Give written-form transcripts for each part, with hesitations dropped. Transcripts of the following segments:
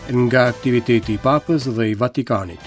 Nga aktiviteti i Papës dhe i Vatikanit.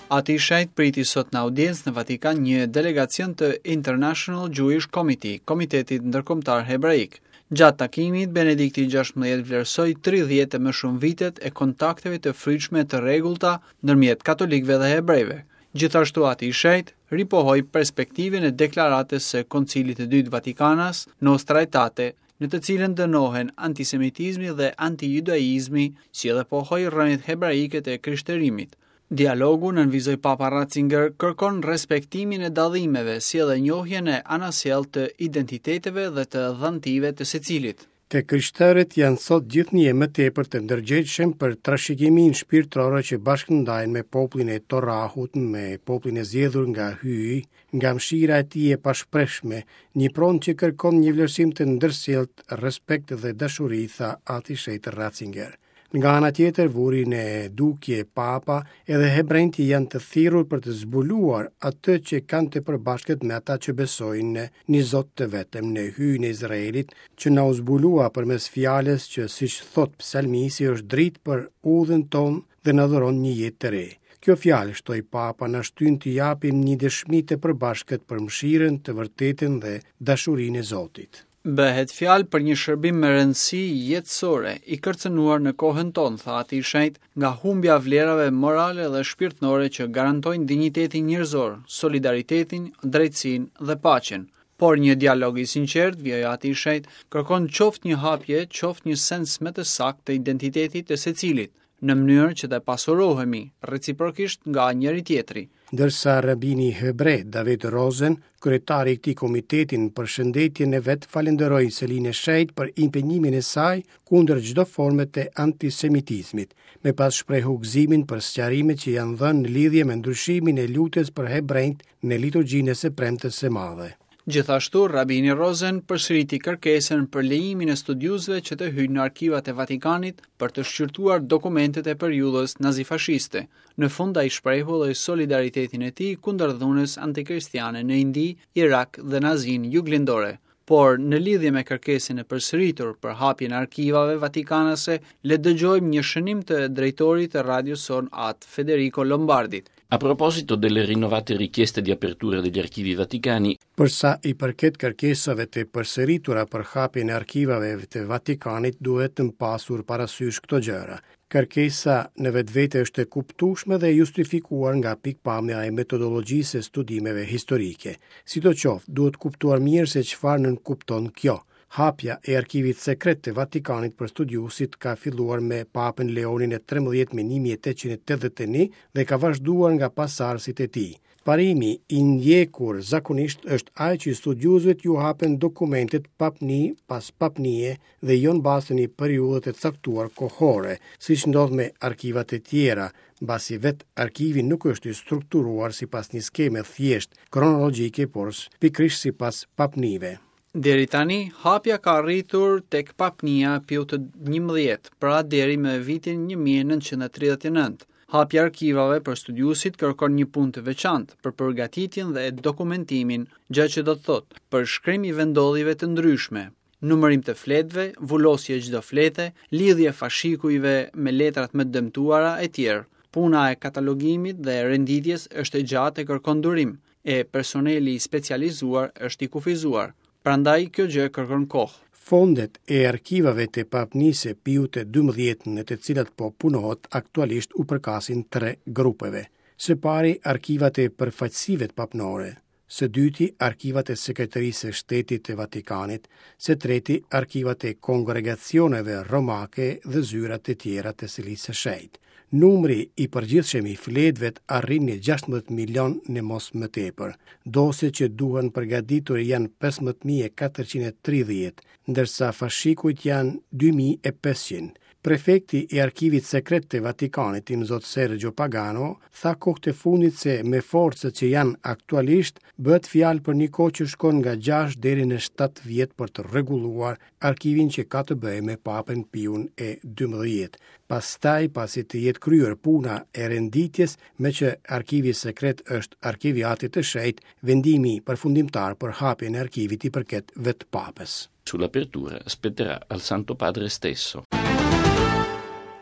Ati i Shenjtë priti sot në audiencë në Vatikan një delegacion të International Jewish Committee, Komitetit Ndërkombëtar Hebraik. Gjatë takimit, Benedikti XVI vlerësoi 30 e më shumë vitet e kontakteve të frytshme të rregullta ndërmjet katolikëve dhe hebrejve. Gjithashtu Ati i Shenjtë ripohoi perspektivën e deklaratës së Koncilit të Dytë Vatikanas, Nostra Aetate, në të cilën dënohen antisemitizmi dhe antijudaizmi, si edhe pohoi rrënjët hebraike të krishterimit. Dialogu, nënvizoi Papa Ratzinger, kërkon respektimin e dallimeve, si edhe njohjen e anasjelltë të identiteteve dhe të dhantive të secilit. Të krishterët janë sot gjithnjë e më tepër të ndërgjegjshëm për trashëgiminë shpirtërore që bashkëndajnë me popullin e Torahut, me popullin e zgjedhur nga Hyji, nga mëshira e tij e pashprehshme, një pronë që kërkon një vlerësim të ndërsjelltë, respekt dhe dashuri, tha Ati i Shenjtë Ratzinger. Nga ana tjetër, vuri në dukje Papa, edhe hebrenjtë janë të thirrur për të zbuluar atë që kanë të përbashkët me ata që besojnë në një Zot të vetëm, në Hyjin e Izraelit, që na u zbulua përmes fjalës që, siç thotë psalmisti, është dritë për udhën tonë dhe na dhuron një jetë të re. Kjo fjalë, shtoi Papa, na shtyn të japim një dëshmi të përbashkët për mëshirën, të vërtetën dhe dashurinë e Zotit. Bëhet fjalë për një shërbim me rëndësi jetësore, i kërcënuar në kohën tonë, tha Ati i Shenjtë, nga humbja e vlerave morale dhe shpirtërore që garantojnë dinjitetin njerëzor, solidaritetin, drejtësinë dhe paqen. Por një dialog i sinqertë, vijoi Ati i Shenjtë, kërkon qoftë një hapje, qoftë një sens më të saktë të identitetit të secilit, në mënyrë që të pasurohemi reciprokisht nga njëri-tjetri. Ndërsa rabini hebre David Rosen, kryetari i këtij komiteti në përshëndetjen e vet falënderoi Selinë e Shenjtë për impenjimin e saj kundër çdo forme të antisemitizmit. Më pas shprehu gëzimin për sqarimet që janë dhënë në lidhje me ndryshimin e lutjes për hebrenjtë në liturgjinë e së premtes së madhe. Gjithashtu, Rabini Rosen përsëriti kërkesën për lejimin e studiuesve që të hyjnë në arkivat e Vatikanit për të shqyrtuar dokumentet e periudhës nazifashiste. Në fund ai shprehu edhe solidaritetin e tij kundër dhunës antikristiane në Indi, Irak dhe në Azinë Juglindore. Por, në lidhje me kërkesën e përsëritur për hapjen e arkivave vatikanase, le të dëgjojmë një shënim të drejtorit të radios sonë At Federico Lombardit. A proposito delle rinnovate richieste di apertura degli archivi vaticani, Për sa i përket kërkesave të përsëritura për hapjen e arkivave të Vatikanit, duhet pasur parasysh këto gjëra. Kërkesa në vetvete është e kuptueshme dhe e justifikuar nga pikëpamja e metodologjisë së studimeve historike. Sidoqoftë, duhet kuptuar mirë se çfarë nënkupton kjo. Hapja e arkivit sekret të Vatikanit për studiuesit ka filluar me Papën Leonin e 13 më 1881 dhe ka vazhduar nga pasardhësit e tij. Parimi i ndjekur zakonisht është ai që studiuesve t'ju hapen dokumentet papni pas papnie dhe jo në bazë të një periudhe të caktuar kohore, siç ndodh me arkivat e tjera, mbasi vetë arkivi nuk është i strukturuar sipas një skeme thjesht kronologjike, por pikërisht sipas papnive. Deri tani, hapja ka arritur tek papnia Piut të 11, pra deri më vitin 1939. Hapja e arkivave për studiuesit kërkon një punë të veçantë për përgatitjen dhe dokumentimin, gjë që do të thotë përshkrim i vendndodhjeve të ndryshme, numërim të fletëve, vulosje e çdo flete, lidhje fashikujve me letrat më të dëmtuara etj. Puna e katalogimit dhe renditjes është e gjatë e kërkon durim, e personeli i specializuar është i kufizuar. Prandaj kjo gjë kërkon kohë. Fondet e arkivave të papnisë Piut të 12 në të cilat po punohet aktualisht u përkasin tre grupeve. Së pari, arkivat e përfaqësive papnore, së dyti, arkivat e Sekretarisë së Shtetit të Vatikanit, së treti, arkivat e kongregacioneve romake dhe zyrat e tjera të Selisë së Shenjtë. Numri i përgjithshëm i fletëve arrin në 16 milion në mos më tepër. Dosjet që duhen përgatitur janë 15.430, ndërsa fashikujt janë 2.500. Prefekti i Arkivit Sekret të Vatikanit, Imzot Sergio Pagano, tha kohët e fundit se me forcat që janë aktualisht, bëhet fjalë për një kohë që shkon nga 6 deri në 7 vjet për të rregulluar arkivin që ka të bëjë me Papën Piun e 12. Pastaj, pasi të jetë kryer puna e renditjes, meqë arkivi sekret është arkiv i Atit të Shenjtë, vendimi përfundimtar për hapjen e arkivit i përket vetë Papës. Sull'apertura spetterà al Santo Padre stesso.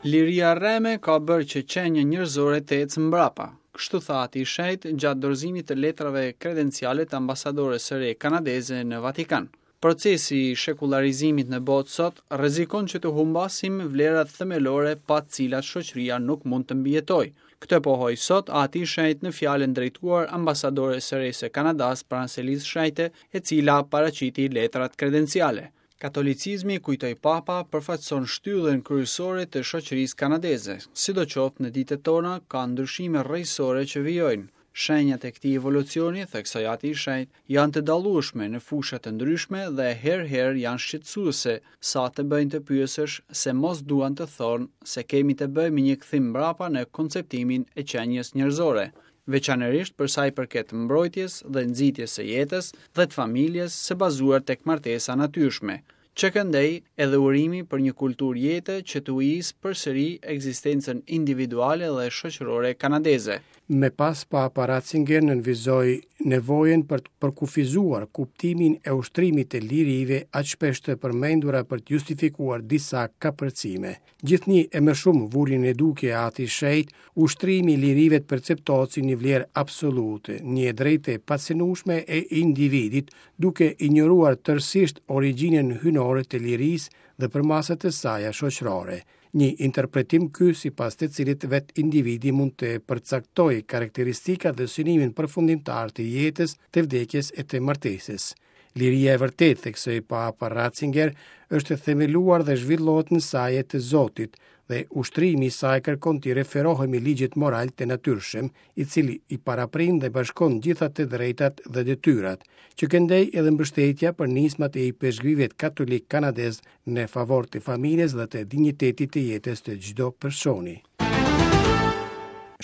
Liria e rreme ka bërë që qenia njerëzore të ecë mbrapa. Kështu tha Ati i Shenjtë gjatë dorëzimit të letrave kredenciale të ambasadores së re kanadeze në Vatikan. Procesi i shekullarizimit në botë sot rrezikon që të humbasim vlerat themelore pa të cilat shoqëria nuk mund të mbijetojë. Këtë pohoi sot Ati i Shenjtë në fjalën drejtuar ambasadores së re së Kanadasë pranë Selisë Shenjte, e cila paraqiti letrat kredenciale. Katolicizmi, kujtoi Papa, përfaqëson shtyllën kryesore të shoqërisë kanadeze. Sidoqoftë, në ditët tona ka ndryshime rrënjësore që vijojnë. Shenjat e këtij evolucioni, theksoi Ati i Shenjtë, janë të dallueshme në fusha të ndryshme dhe herë-herë janë shqetësuese, sa të bëjnë të pyesësh se mos duan të thonë se kemi të bëjmë me një kthim mbrapa në konceptimin e qenies njerëzore, veçanërisht për sa i përket mbrojtjes dhe nxitjes së jetës dhe të familjes së bazuar tek martesa e natyrshme. Që këndej edhe urimi për një kulturë jete që të ujisë përsëri ekzistencën individuale dhe shoqërore kanadeze. Më pas Papa Ratzinger nënvizoi nevojën për të përkufizuar kuptimin e ushtrimit të lirive aq shpesh të përmendura për të justifikuar disa kapërcime. Gjithnjë e më shumë vuri në dukje Ati i Shenjtë, ushtrimi i lirive të perceptohet si një vlerë absolute, një e drejtë e pacenueshme e individit, duke injoruar tërësisht origjinën hyjnore të lirisë dhe përmasat e saja shoqërore. Një interpretim ky sipas të cilit vetë individi mund të përcaktojë karakteristikat dhe synimin përfundimtar të jetës, të vdekjes e të martesës. Liria e vërtetë, theksoi Papa Ratzinger, është e themeluar dhe zhvillohet në saje të Zotit dhe ushtrimi i saj kërkon t'i referohemi ligjit moral të natyrshëm, i cili i paraprin dhe bashkon gjitha të drejtat dhe detyrat, që këndej edhe mbështetja për nismat e ipeshkvivit katolik kanadez në favor të familjes dhe të dinjitetit të jetës të çdo personi.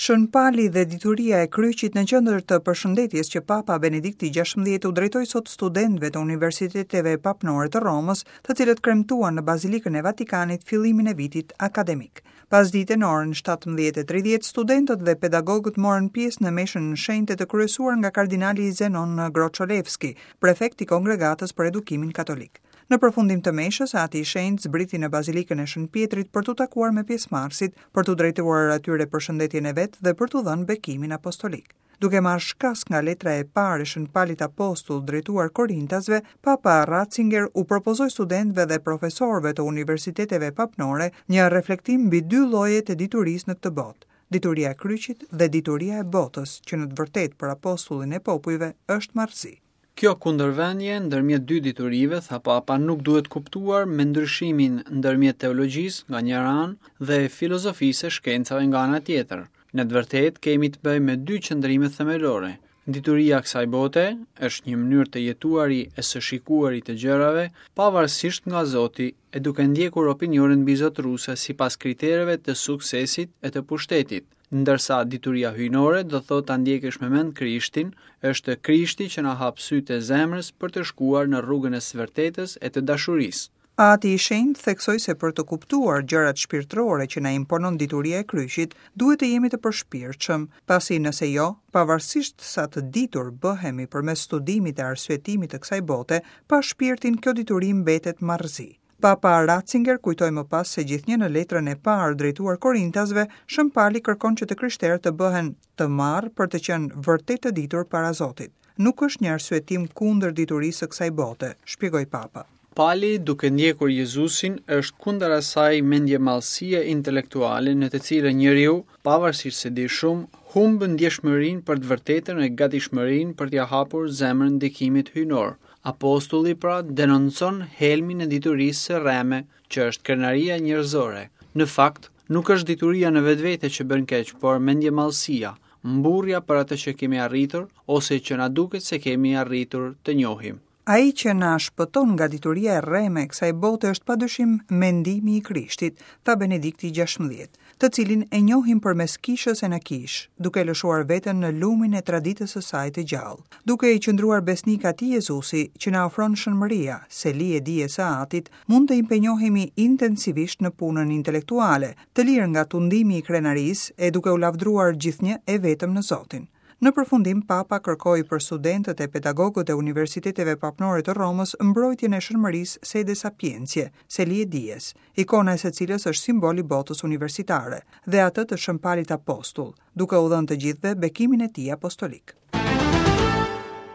Shën Pali dhe dituria e kryqit në qendër të përshëndetjes që Papa Benedikti XVI u drejtoi sot studentëve të universiteteve papnore të Romës, të cilët kremtuan në Bazilikën e Vatikanit fillimin e vitit akademik. Pasdite në orën 17:30 studentët dhe pedagogët morën pjesë në meshën shenjte të kryesuar nga kardinali Zenon Grocholewski, prefekt i Kongregatës për Edukimin Katolik. Në përfundim të meshës, Ati i Shenjtë zbriti në Bazilikën e Shën Pjetrit për t'u takuar me pjesëmarrësit, për t'u drejtuar atyre përshëndetjen e vet dhe për t'u dhënë bekimin apostolik. Duke marrë shkas nga letra e parë e Shën Palit Apostull drejtuar Korintasve, Papa Ratzinger u propozoi studentëve dhe profesorëve të universiteteve papnore një reflektim mbi dy llojet e diturisë në këtë botë, dituria e kryqit dhe dituria e botës, që në të vërtetë për apostullin e popujve është marrëzi. Kjo kundërvënie ndërmjet dy diturive, tha Papa, nuk duhet kuptuar me ndryshimin ndërmjet teologjisë nga njëra anë dhe filozofisë e shkencave nga ana tjetër. Në të vërtetë kemi të bëjmë me dy qëndrime themelore. Dituria e kësaj bote është një mënyrë të jetuari e së shikuari të gjërave, pavarësisht nga Zoti e duke ndjekur opinionet mbizotëruese sipas kritereve të suksesit e të pushtetit. Ndërsa dituria hyjnore do thotë ta ndjekësh me mend Krishtin, është Krishti që na hap sytë e zemrës për të shkuar në rrugën e së vërtetës e të dashurisë. Ati i Shenjtë theksoi se për të kuptuar gjërat shpirtërore që na imponon dituria e kryqit, duhet të jemi të përshpirtshëm, pasi nëse jo, pavarësisht sa të ditur bëhemi përmes studimit e arsyetimit të kësaj bote, pa shpirtin kjo dituri mbetet marrëzi. Papa Ratzinger kujtoi më pas se gjithnjë në letrën e parë drejtuar Korintasve, Shën Pali kërkon që të krishterët të bëhen të marrë për të qenë vërtet të ditur para Zotit. Nuk është një arsyetim kundër diturisë së kësaj bote, shpjegoi Papa. Pali, duke ndjekur Jezusin, është kundër asaj mendjemadhësie intelektuale në të cilën njeriu, pavarësisht se di shumë, humb ndjeshmërinë për të vërtetën e gatishmërinë për t'ia hapur zemrën ndikimit hyjnor. Apostulli pra denoncon helmin e diturisë së rreme, që është krenaria njerëzore. Në fakt, nuk është dituria në vetvete që bën keq, por mendjemadhësia, mburrja për atë që kemi arritur ose që na duket se kemi arritur të njohim. Ai që na shpëton nga dituria e rreme e kësaj bote është padyshim mendimi i Krishtit, tha Benedikti 16, të cilin e njohim përmes kishës e në kishë, duke lëshuar veten në lumin e traditës së saj të gjallë, duke i qëndruar besnik atij Jezusi që na ofron Shën Mëria, seli e dijes së Atit, mund të impenjohemi intensivisht në punën intelektuale, të lirë nga tundimi i krenarisë e duke u lavdëruar gjithnjë e vetëm në Zotin. Në përfundim, Papa kërkoi për studentët e pedagogët e universiteteve papnore të Romës mbrojtjen e Shën Mërisë Sede Sapientiae, seli e dijes, ikona e së cilës është simbol i botës universitare, dhe atë të Shën Palit Apostull, duke u dhënë të gjithëve bekimin e tij apostolik.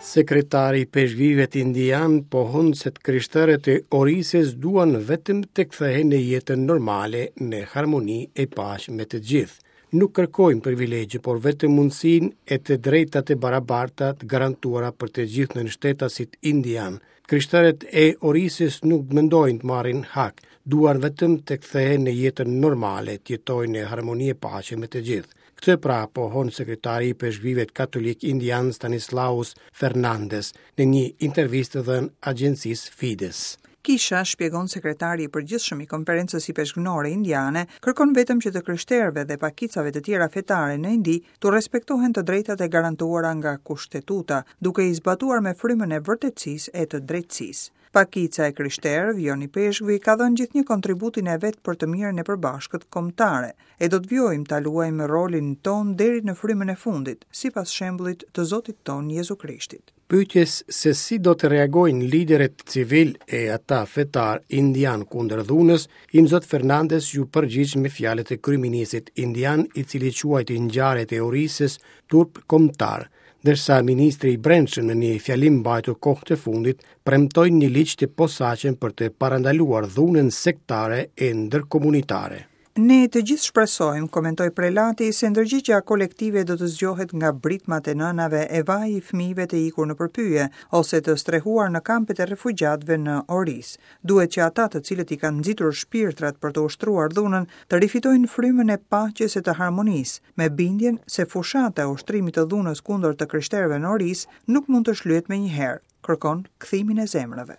Sekretari i Ipeshkvijve indianë pohon se të krishterët e Orisës duan vetëm të kthehen në jetën normale në harmoni e paqe me të gjithë. Nuk kërkojmë privilegje, por vetëm mundësinë e të drejtat e barabarta të garantuara për të gjithë nënshtetasit indianë. Krishterët e Orisës nuk mendojnë të marrin hak, duan vetëm të kthehen në jetën normale, të jetojnë në harmoni e paqe me të gjithë. Këtë pra pohon sekretari i ipeshkvijve katolikë indianë Stanislaus Fernandes në një intervistë dhënë agjencisë Fides. Kisha, shpjegon sekretari i përgjithshëm i Konferencës Ipeshkvnore Indiane, kërkon vetëm që të krishterëve dhe pakicave të tjera fetare në Indi t'u respektohen të drejtat e garantuara nga Kushtetuta, duke i zbatuar me frymën e vërtetësisë e të drejtësisë. Pakica e krishterë, vijon ipeshkvi, ka dhënë gjithnjë kontributin e vet për të mirën e përbashkët kombëtare, e do të vijojmë ta luajmë rolin tonë deri në frymën e fundit, sipas shembullit të Zotit tonë Jezu Krishtit. Pyetjes se si do të reagojnë liderët civilë e ata fetarë indianë kundër dhunës, Imzot Fernandez iu përgjigj me fjalët e kryeministrit indian, i cili quajti ngjarjet e Orisës turp kombëtar, ndërsa ministri i Brendshëm në një fjalim mbajtur kohët e fundit premtoi një ligj të posaçëm për të parandaluar dhunën sektare e ndërkomunitare. Ne të gjithë shpresojmë, komentoi prelati, se ndërgjegjja kolektive do të zgjohet nga britmat e nënave e vaji i fëmijëve të ikur nëpër pyje ose të strehuar në kampet e refugjatëve në Orisë. Duhet që ata të cilët i kanë nxitur shpirtrat për të ushtruar dhunën të rifitojnë frymën e paqes e të harmonisë, me bindjen se fushata e ushtrimit të dhunës kundër të krishterëve në Orisë nuk mund të shlyhet menjëherë. kërkon kthimin e zemrave.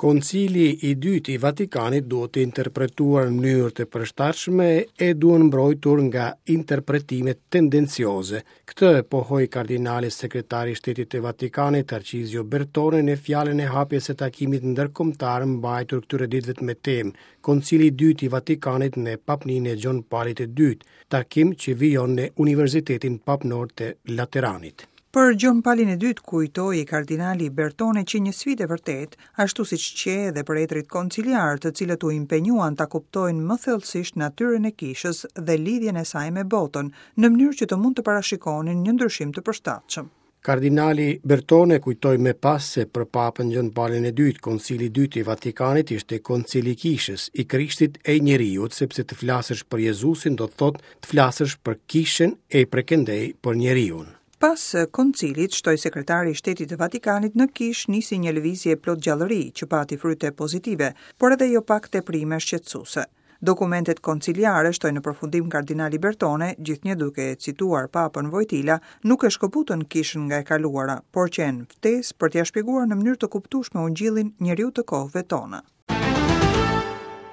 Koncili i dytë i Vatikanit duhet të interpretuar në mënyrë të përshtatshme e duhen mbrojtur nga interpretimet tendencioze. Këtë e pohoi kardinali sekretari i Shtetit të Vatikanit, Tarcizio Bertone, në fjalën e hapjes së takimit ndërkombëtar mbajtur këtyre ditëve me temë Koncili i dytë i Vatikanit në papninë e Gjon Palit të Dytë, takim që vijon në Universitetin Papnor të Lateranit. Për Gjon Palin e Dytë kujtoi kardinali Bertone qe një sfidë e vërtetë, ashtu siç qe edhe për etërit konciliarë, të cilët u impenjuan ta kuptojnë më thellësisht natyrën e kishës dhe lidhjen e saj me botën, në mënyrë që të mund të parashikonin një ndryshim të përshtatshëm. Kardinali Bertone kujtoi më pas se për Papën Gjon Palin e Dytë, Koncili i Dytë i Vatikanit ishte koncili i kishës, i Krishtit e i njeriut, sepse të flasësh për Jezusin do të thotë të flasësh për kishën e prekëndej për njeriun. Pas koncilit, shtoi sekretari i Shtetit të Vatikanit, në kishë nisi një lëvizje plot gjallëri, që pati fryte pozitive, por edhe jo pak teprime shqetësuese. Dokumentet konciliare, shtoi në përfundim kardinali Bertone, gjithnjë duke cituar Papën Vojtila, nuk e shkëputën kishën nga e kaluara, por qenë ftesë për t'ia shpjeguar në mënyrë të kuptueshme ungjillin njeriut të kohëve tona.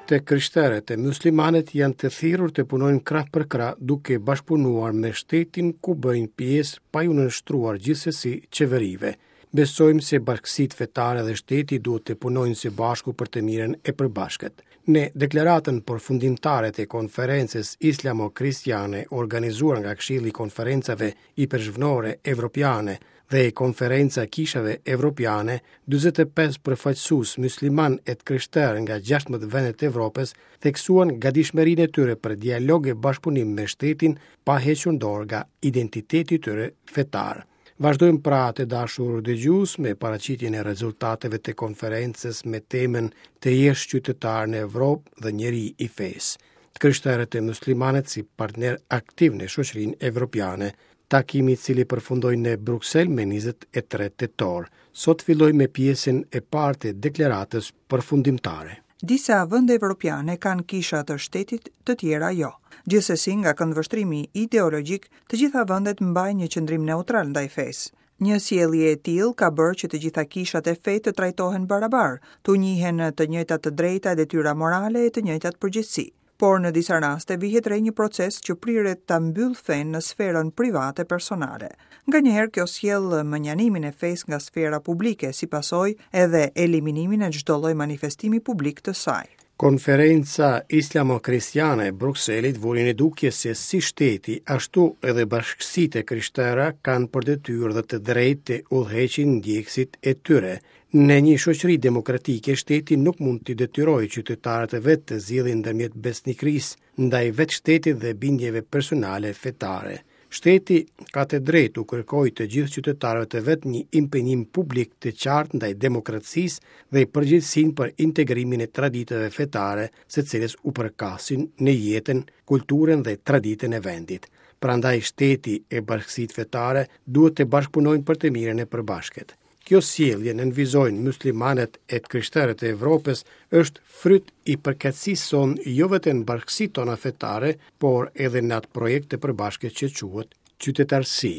Të krishterët e muslimanët janë të thirrur të punojnë krah për krah duke bashkëpunuar me shtetin ku bëjnë pjesë pa iu nënshtruar gjithsesi qeverive. Besojmë se bashkësitë fetare dhe shteti duhet të punojnë së bashku për të mirën e përbashkët. Në deklaratën përfundimtare të konferencës islamo-kristiane organizuar nga Këshilli i Konferencave Ipeshkvnore Evropiane dhe Konferenca e Kishave Evropiane, 45 përfaqësues myslimanë e të krishterë nga 16 vende të Evropës theksuan gatishmërinë e tyre për dialog e bashkëpunim me shtetin pa hequr dorë nga identiteti i tyre fetar. Vazhdojmë pra të dashur dëgjues me paraqitjen e rezultateve të konferencës me temën Të jesh qytetar në Evropë dhe njeri i fesë. Të krishterët e muslimanët si partnerë aktivë në shoqërinë evropiane, Takimi i cili përfundoi në Bruksel me 23 tetor, sot filloi me pjesën e parë të deklaratës përfundimtare. Disa vende evropiane kanë kisha të shtetit, të tjera jo. Gjithsesi, nga këndvështrimi ideologjik, të gjitha vendet mbajnë një qëndrim neutral ndaj fesë. Një sjellje e tillë ka bërë që të gjitha kishat e fetë të trajtohen barabar, t'u njihen të njëjtat të drejta e detyra morale e të njëjtat përgjegjësi. Por në disa raste vihet re një proces që priret ta mbyllë fenë në sferën private personale. Nganjëherë kjo sjell mënjanimin e fesë nga sfera publike, si pasojë edhe eliminimin e çdo lloj manifestimi publik të saj. Konferenca Islamo-Kristiane e Brukselit vuri në dukje se si shteti, ashtu edhe bashkësitë e krishtera kanë për detyrë dhe të drejtë të udhëheqin ndjekësit e tyre. Në një shoqëri demokratike, shteti nuk mund t'i detyrojë qytetarët e vet të zgjedhin ndërmjet besnikërisë ndaj vetë shtetit dhe bindjeve personale fetare. Shteti ka të drejtë t'u kërkojë të gjithë qytetarëve të vet një impenjim publik të qartë ndaj demokracisë dhe përgjegjësinë për integrimin e traditave fetare së cilës u përkasin në jetën, kulturën dhe traditën e vendit. Prandaj shteti e bashkësitë fetare duhet të bashkëpunojnë për të mirën e përbashkët. Kjo sjellje, nënvizojnë myslimanët e të krishterët e Evropës, është fryt i përkatësisë sonë jo vetëm në bashkësitë tona fetare, por edhe në atë projekt të përbashkët që quhet qytetarësi.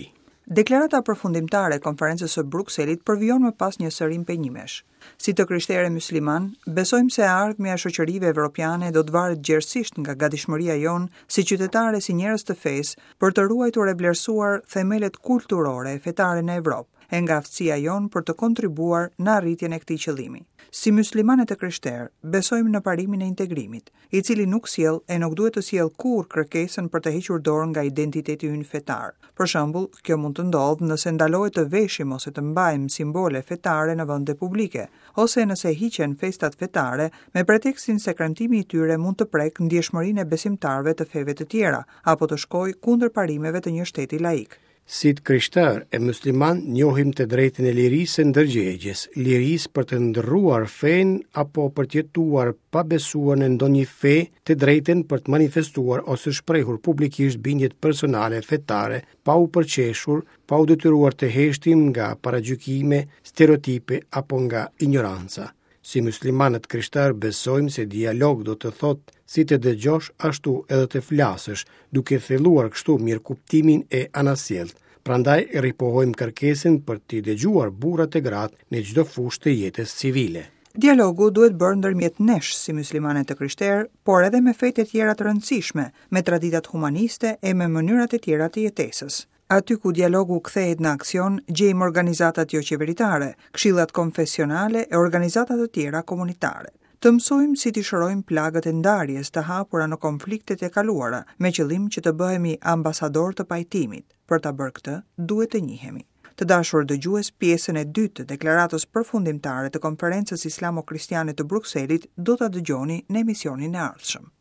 Deklarata përfundimtare e Konferencës së Brukselit përvijon më pas një sërë impenjimesh. Si të krishterë e myslimanë, besojmë se e ardhmja e shoqërive evropiane do të varet gjerësisht nga gatishmëria jonë si qytetarë e si njerëz të fesë për të ruajtur e vlerësuar themelet kulturore e fetare në Evropë. e nga aftësia jonë për të kontribuar në arritjen e këtij qëllimi. Si myslimanë e të krishterë, besojmë në parimin e integrimit, i cili nuk sjell e nuk duhet të sjellë kurrë kërkesën për të hequr dorë nga identiteti ynë fetar. Për shembull, kjo mund të ndodhë nëse ndalohet të veshim ose të mbajmë simbole fetare në vende publike, ose nëse hiqen festat fetare me pretekstin se kremtimi i tyre mund të prekë ndjeshmërinë e besimtarëve të feve të tjera apo të shkojë kundër parimeve të një shteti laik. Si të krishterë e myslimanë njohim të drejtën e lirisë së ndërgjegjes, lirisë për të ndërruar fenë apo për të jetuar pa besuar në ndonjë fe, të drejtën për të manifestuar ose shprehur publikisht bindjet personale fetare pa u përqeshur, pa u detyruar të heshtim nga paragjykime, stereotipe apo nga injoranca. Si myslimanë e të krishterë besojmë se dialog do të thotë si të dëgjosh ashtu edhe të flasësh, duke thelluar kështu mirëkuptimin e anasjelltë. Prandaj ripohojmë kërkesën për t'i dëgjuar burrat e gratë në çdo fushë të jetës civile. Dialogu duhet bërë ndërmjet nesh si myslimanë e të krishterë, por edhe me fetë e tjera të rëndësishme, me traditat humaniste e me mënyrat e tjera të jetesës. Aty ku dialogu kthehet në aksion, gjejmë organizatat joqeveritare, këshillat konfesionale e organizata të tjera komunitare. Të mësojmë si t'i shërojmë plagët e ndarjes të hapura në konfliktet e kaluara, me qëllim që të bëhemi ambasadorë të pajtimit. Për ta bërë këtë, duhet të njihemi. Të dashur dëgjues, pjesën e dytë të deklaratës përfundimtare të Konferencës Islamo-Kristiane të Brukselit do ta dëgjoni në emisionin e ardhshëm.